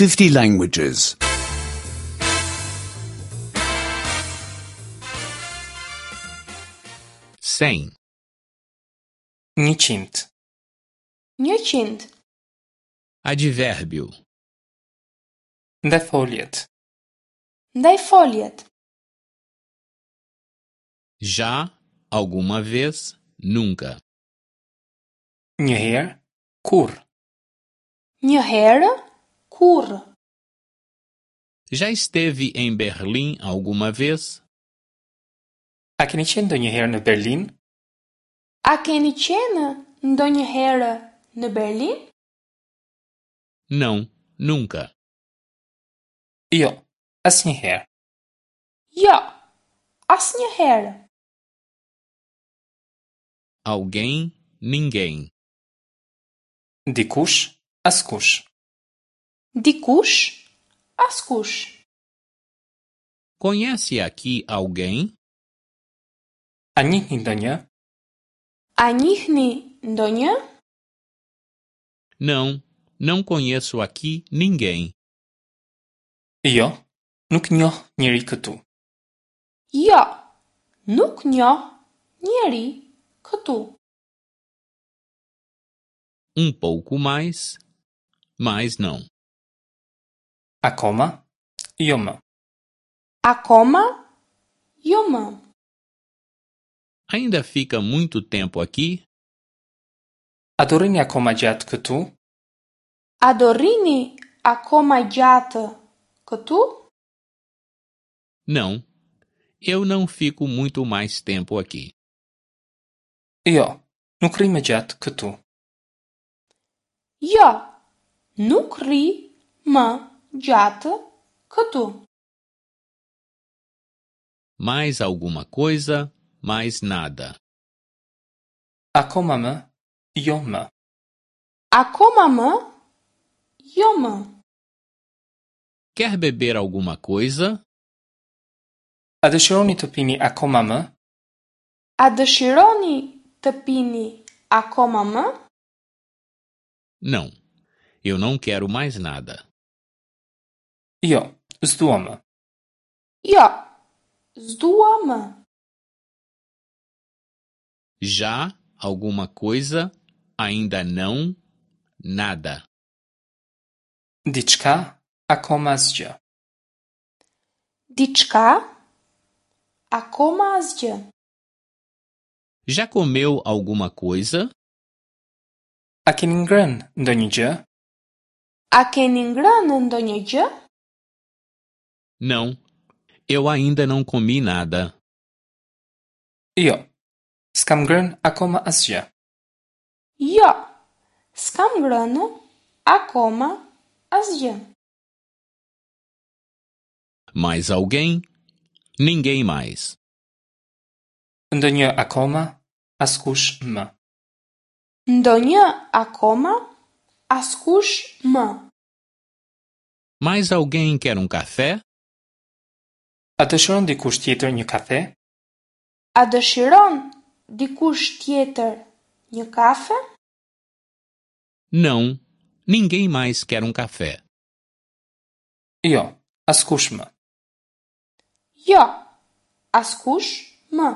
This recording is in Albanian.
50 languages. 100. 100. 100. Advérbio. Ndajfoljet. Ndajfoljet. Já, alguma vez, nunca. Një herë, kurrë. Një herë, kurrë. Já esteve em Berlim alguma vez? A keni qenë ndonjëherë në Berlin? A keni qenë ndonjëherë në Berlin? Não, nunca. Jo, asnjëherë. Jo, asnjëherë. Alguém, ninguém. Dikush, askush. Dikush, askush. Conhece aqui alguém? A njihni ndonjë? A njihni ndonjë? Não, não conheço aqui ninguém. Jo, nuk njoh njeri këtu. Jo, nuk njoh njeri këtu. Um pouco mais, mas não. Akoma, jo më. Akoma, jo më. Ainda fica muito tempo aqui? A do rrini akoma gjatë këtu? A do rrini akoma gjatë këtu? Não, eu não fico muito mais tempo aqui. Jo, nuk rri më gjatë këtu. Jo, nuk rri më gjatë këtu. Mais alguma coisa, mais nada. Akoma më, jo më. Akoma më, jo më. Quer beber alguma coisa? A dëshironi të pini akoma më? A dëshironi të pini akoma më? Não, eu não quero mais nada. Jo, s'dua më. Jo, s'dua më. Já, alguma coisa, ainda não, nada. Diçka, akoma asgjë. Diçka, akoma asgjë. Já comeu alguma coisa? A keni ngrënë ndonjë gjë? A keni ngrënë ndonjë gjë? Não, eu ainda não comi nada. Jo, s'kam ngrënë akoma asgjë. Jo, s'kam ngrënë akoma asgjë. Mais alguém? Ninguém mais. Ndonjë akoma, askush më. Ndonjë akoma, askush më. Mais alguém quer um café? A dëshiron dikush tjetër një kafe? A dëshiron dikush tjetër një kafe? Não, ninguém mais quer um café. Jo, askush më. Jo, askush më.